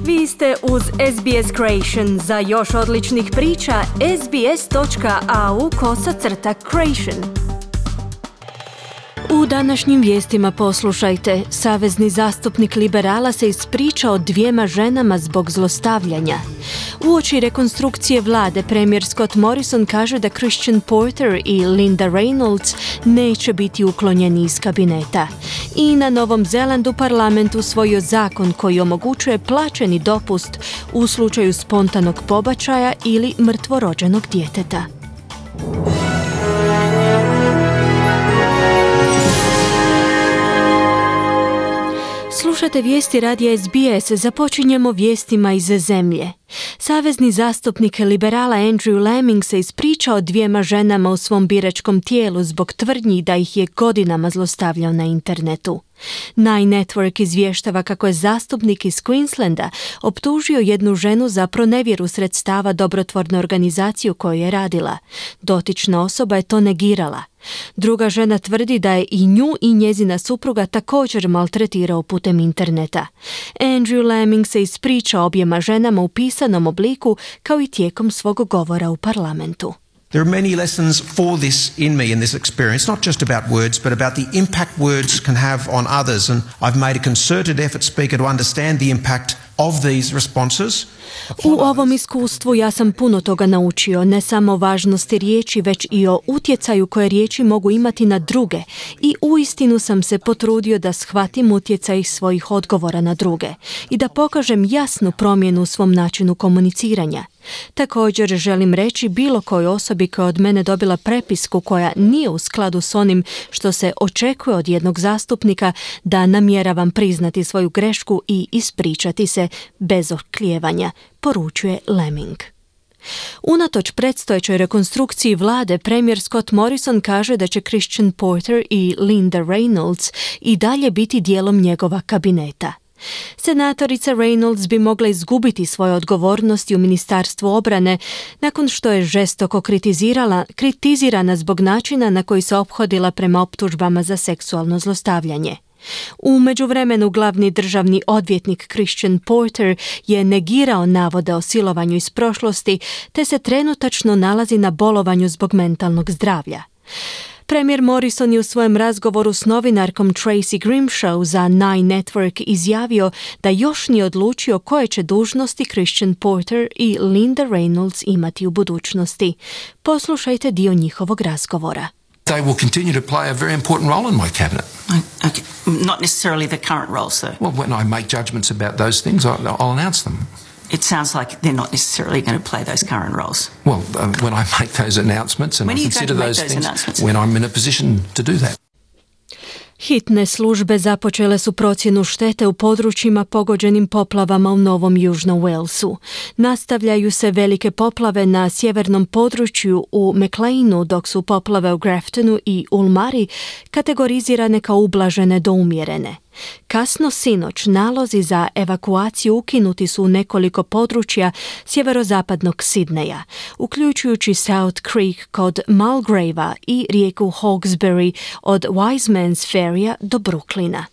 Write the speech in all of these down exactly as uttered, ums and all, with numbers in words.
Vi ste uz S B S Creation. Za još odličnih priča, sbs.au kosacrta creation. U današnjim vijestima poslušajte. Savezni zastupnik liberala se ispričao dvijema ženama zbog zlostavljanja. Uoči rekonstrukcije vlade, premijer Scott Morrison kaže da Christian Porter i Linda Reynolds neće biti uklonjeni iz kabineta. I na Novom Zelandu parlament usvojio zakon koji omogućuje plaćeni dopust u slučaju spontanog pobačaja ili mrtvorođenog djeteta. Slušate vijesti radija S B S, započinjemo vijestima iz zemlje. Savezni zastupnik liberala Andrew Laming se ispričao dvijema ženama u svom biračkom tijelu zbog tvrdnji da ih je godinama zlostavljao na internetu. Nine Network izvještava kako je zastupnik iz Queenslanda optužio jednu ženu za pronevjeru sredstava dobrotvorne organizacije u kojoj je radila. Dotična osoba je to negirala. Druga žena tvrdi da je i nju i njezina supruga također maltretirao putem interneta. Andrew Laming se ispričao objema ženama u pisanom obliku kao i tijekom svog govora u parlamentu. There are many lessons for this in me in this experience, not just about words, but about the impact words can have on others. And I've made a concerted effort, Speaker, to understand the impact of these responses. U ovom iskustvu ja sam puno toga naučio, ne samo o važnosti riječi, već i o utjecaju koje riječi mogu imati na druge. I uistinu sam se potrudio da shvatim utjecaj svojih odgovora na druge i da pokažem jasnu promjenu u svom načinu komuniciranja. Također želim reći bilo kojoj osobi koja od mene dobila prepisku koja nije u skladu s onim što se očekuje od jednog zastupnika, da namjeravam priznati svoju grešku i ispričati se bez oklijevanja, poručuje Laming. Unatoč predstojećoj rekonstrukciji vlade, premijer Scott Morrison kaže da će Christian Porter i Linda Reynolds i dalje biti dijelom njegova kabineta. Senatorica Reynolds bi mogla izgubiti svoje odgovornosti u Ministarstvu obrane nakon što je žestoko kritizirala, kritizirana zbog načina na koji se ophodila prema optužbama za seksualno zlostavljanje. U međuvremenu glavni državni odvjetnik Christian Porter je negirao navode o silovanju iz prošlosti te se trenutačno nalazi na bolovanju zbog mentalnog zdravlja. Premijer Morrison je u svojem razgovoru s novinarkom Tracy Grimshaw za Nine Network izjavio da još nije odlučio koje će dužnosti Christian Porter i Linda Reynolds imati u budućnosti. Poslušajte dio njihovog razgovora. They will continue to play a very important role in my cabinet. Okay. Not necessarily the current roles, though. Well, when I make judgments about those things, I'll, I'll announce them. It sounds like they're not necessarily going to play those current roles. Well, um, when I make those announcements and when I are you consider going to those, make those things, announcements? when I'm in a position to do that. Hitne službe započele su procjenu štete u područjima pogođenim poplavama u Novom Južnom Walesu. Nastavljaju se velike poplave na sjevernom području u Macleanu, dok su poplave u Graftonu i Ulmari kategorizirane kao ublažene do umjerene. Kasno sinoć nalozi za evakuaciju ukinuti su u nekoliko područja sjeverozapadnog Sidneja, uključujući South Creek kod Mulgravea i rijeku Hawkesbury od Wiseman's Ferrya do Brooklyna.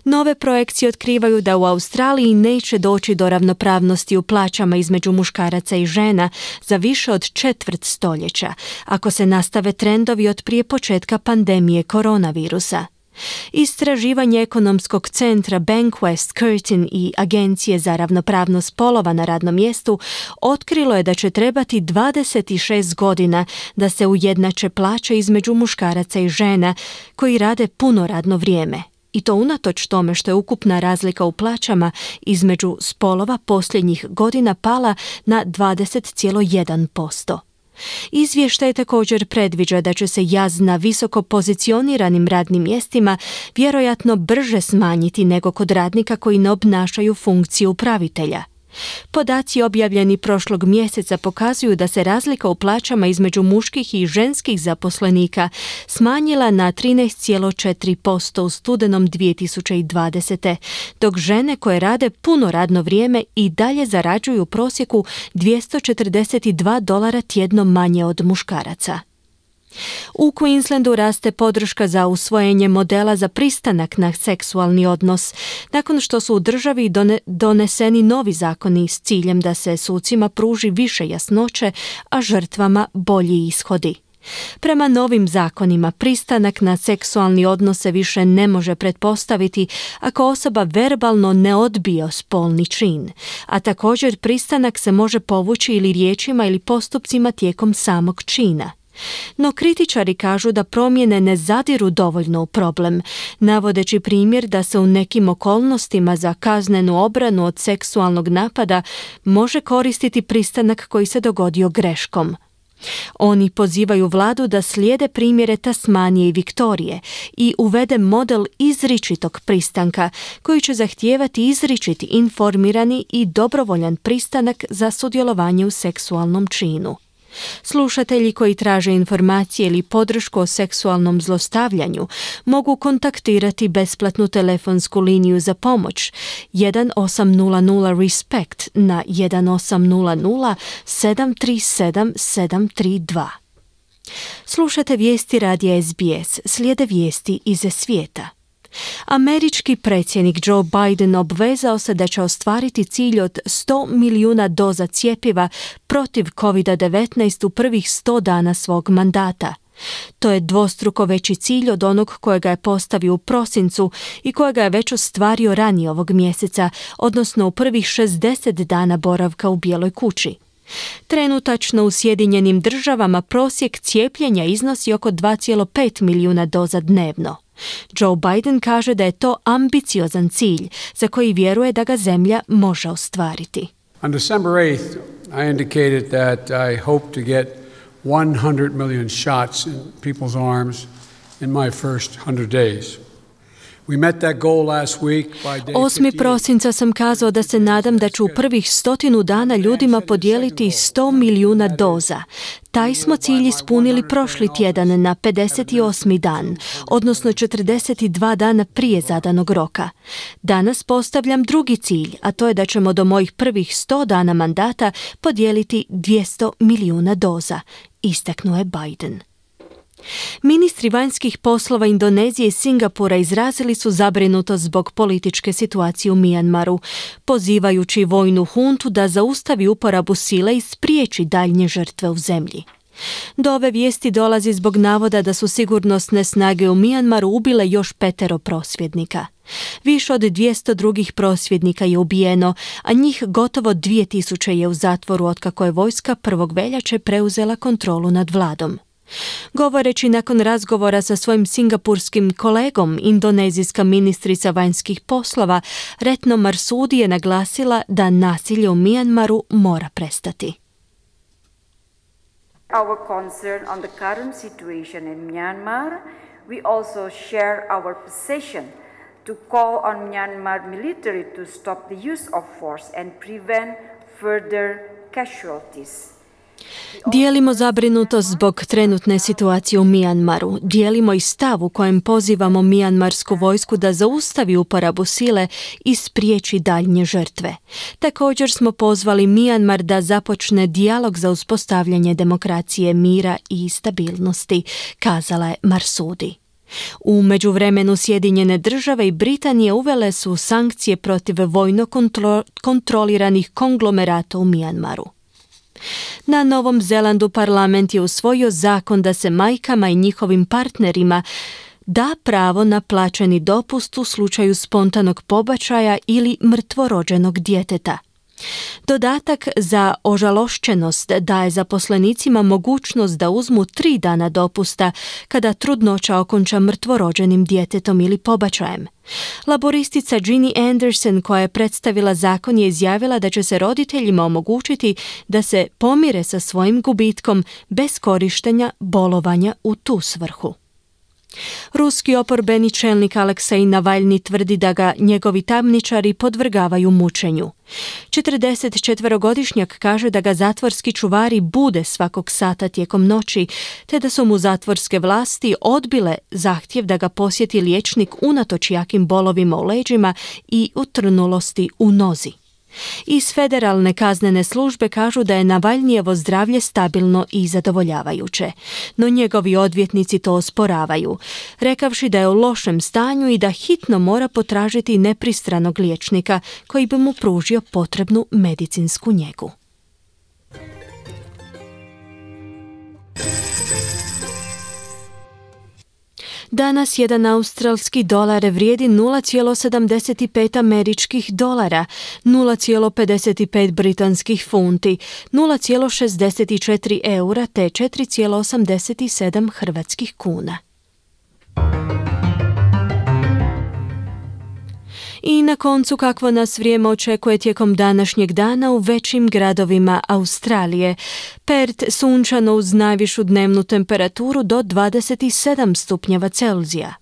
Nove projekcije otkrivaju da u Australiji neće doći do ravnopravnosti u plaćama između muškaraca i žena za više od četvrt stoljeća, ako se nastave trendovi od prije početka pandemije koronavirusa. Istraživanje ekonomskog centra Bankwest Curtin i Agencije za ravnopravnost spolova na radnom mjestu otkrilo je da će trebati dvadeset šest godina da se ujednače plaće između muškaraca i žena koji rade puno radno vrijeme. I to unatoč tome što je ukupna razlika u plaćama između spolova posljednjih godina pala na dvadeset zarez jedan posto. Izvještaj također predviđa da će se jaz na visoko pozicioniranim radnim mjestima vjerojatno brže smanjiti nego kod radnika koji ne obnašaju funkciju upravitelja. Podaci objavljeni prošlog mjeseca pokazuju da se razlika u plaćama između muških i ženskih zaposlenika smanjila na trinaest zarez četiri posto u studenom dvije tisuće dvadesete. dok žene koje rade puno radno vrijeme i dalje zarađuju u prosjeku dvjesto četrdeset dva dolara tjedno manje od muškaraca. U Queenslandu raste podrška za usvojenje modela za pristanak na seksualni odnos, nakon što su u državi doneseni novi zakoni s ciljem da se sucima pruži više jasnoće, a žrtvama bolji ishodi. Prema novim zakonima, pristanak na seksualni odnos se više ne može pretpostaviti ako osoba verbalno ne odbije spolni čin, a također pristanak se može povući ili riječima ili postupcima tijekom samog čina. No kritičari kažu da promjene ne zadiru dovoljno u problem, navodeći primjer da se u nekim okolnostima za kaznenu obranu od seksualnog napada može koristiti pristanak koji se dogodio greškom. Oni pozivaju vladu da slijede primjere Tasmanije i Viktorije i uvede model izričitog pristanka koji će zahtijevati izričiti, informirani i dobrovoljan pristanak za sudjelovanje u seksualnom činu. Slušatelji koji traže informacije ili podršku o seksualnom zlostavljanju mogu kontaktirati besplatnu telefonsku liniju za pomoć jedan osam nula nula respect na jedan osam nula nula sedam tri sedam sedam tri dva. Slušate vijesti radija S B S, slijede vijesti iz svijeta. Američki predsjednik Joe Biden obvezao se da će ostvariti cilj od sto milijuna doza cjepiva protiv kovid devetnaest u prvih sto dana svog mandata. To je dvostruko veći cilj od onog kojega je postavio u prosincu i kojega je već ostvario ranije ovog mjeseca, odnosno u prvih šezdeset dana boravka u Bijeloj kući. Trenutačno u Sjedinjenim državama prosjek cijepljenja iznosi oko dva zarez pet milijuna doza dnevno. Joe Biden kaže da je to ambiciozan cilj za koji vjeruje da ga zemlja može ostvariti. On December eighth, I indicated that I hope to get one hundred million shots in people's arms in my first one hundred days. We met that goal last week by day osmog prosinca sam kazao da se nadam da ću u prvih stotinu dana ljudima podijeliti sto milijuna doza. Taj smo cilj ispunili prošli tjedan na pedeset osmi dan, odnosno četrdeset dva dana prije zadanog roka. Danas postavljam drugi cilj, a to je da ćemo do mojih prvih sto dana mandata podijeliti dvjesto milijuna doza, istaknuo je Biden. Ministri vanjskih poslova Indonezije i Singapura izrazili su zabrinutost zbog političke situacije u Mijanmaru, pozivajući vojnu huntu da zaustavi uporabu sile i spriječi daljnje žrtve u zemlji. Do ove vijesti dolazi zbog navoda da su sigurnosne snage u Mijanmaru ubile još petero prosvjednika. Više od dvjesto drugih prosvjednika je ubijeno, a njih gotovo dvije tisuće je u zatvoru otkako je vojska prvog veljače preuzela kontrolu nad vladom. Govoreći nakon razgovora sa svojim singapurskim kolegom, indonezijska ministrica vanjskih poslova Retno Marsudi je naglasila da nasilje u Mijanmaru mora prestati. Our concern on the current situation in Myanmar, we also share our position to call on Myanmar military to stop the use of force and prevent further casualties. Dijelimo zabrinutost zbog trenutne situacije u Mijanmaru. Dijelimo i stav u kojem pozivamo mijanmarsku vojsku da zaustavi uporabu sile i spriječi daljnje žrtve. Također smo pozvali Mijanmar da započne dijalog za uspostavljanje demokracije, mira i stabilnosti, kazala je Marsudi. U međuvremenu Sjedinjene države i Britanije uvele su sankcije protiv vojno kontro- kontroliranih konglomerata u Mijanmaru. Na Novom Zelandu parlament je usvojio zakon da se majkama i njihovim partnerima da pravo na plaćeni dopust u slučaju spontanog pobačaja ili mrtvorođenog djeteta. Dodatak za ožalošćenost daje zaposlenicima mogućnost da uzmu tri dana dopusta kada trudnoća okonča mrtvorođenim djetetom ili pobačajem. Laboristica Ginny Anderson, koja je predstavila zakon, je izjavila da će se roditeljima omogućiti da se pomire sa svojim gubitkom bez korištenja bolovanja u tu svrhu. Ruski oporbeni čelnik Aleksej Navalni tvrdi da ga njegovi tamničari podvrgavaju mučenju. četrdesetčetverogodišnjak kaže da ga zatvorski čuvari bude svakog sata tijekom noći, te da su mu zatvorske vlasti odbile zahtjev da ga posjeti liječnik unatoč jakim bolovima u leđima i utrnulosti u nozi. Iz federalne kaznene službe kažu da je Navalnjijevo zdravlje stabilno i zadovoljavajuće, no njegovi odvjetnici to osporavaju, rekavši da je u lošem stanju i da hitno mora potražiti nepristranog liječnika koji bi mu pružio potrebnu medicinsku njegu. Danas jedan australski dolar vrijedi nula zarez sedamdeset pet američkih dolara, nula zarez pedeset pet britanskih funti, nula zarez šezdeset četiri eura te četiri zarez osamdeset sedam hrvatskih kuna. I na koncu kakvo nas vrijeme očekuje tijekom današnjeg dana u većim gradovima Australije. Perth sunčano uz najvišu dnevnu temperaturu do dvadeset sedam stupnjeva Celzija.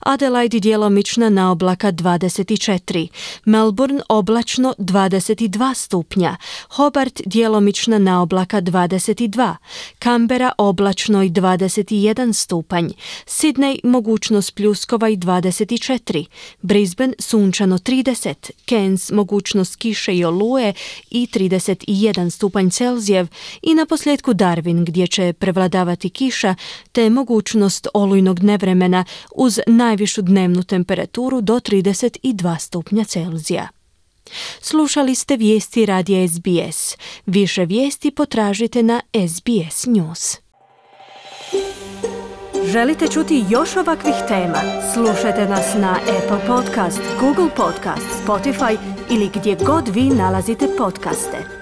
Adelaide djelomična naoblaka dvadeset četiri, Melbourne oblačno dvadeset dva stupnja, Hobart djelomična naoblaka dvadeset dva, Canberra oblačno i dvadeset jedan stupanj, Sydney mogućnost pljuskova i dvadeset četiri, Brisbane sunčano trideset, Cairns mogućnost kiše i oluje i trideset jedan stupanj Celzijev i na posljedku Darwin gdje će prevladavati kiša te mogućnost olujnog nevremena uz najvišu dnevnu temperaturu do trideset dva stupnja Celzija. Slušali ste vijesti radija S B S. Više vijesti potražite na S B S News. Želite čuti još ovakvih tema? Slušajte nas na Apple Podcast, Google Podcast, Spotify ili gdje god vi nalazite podcaste.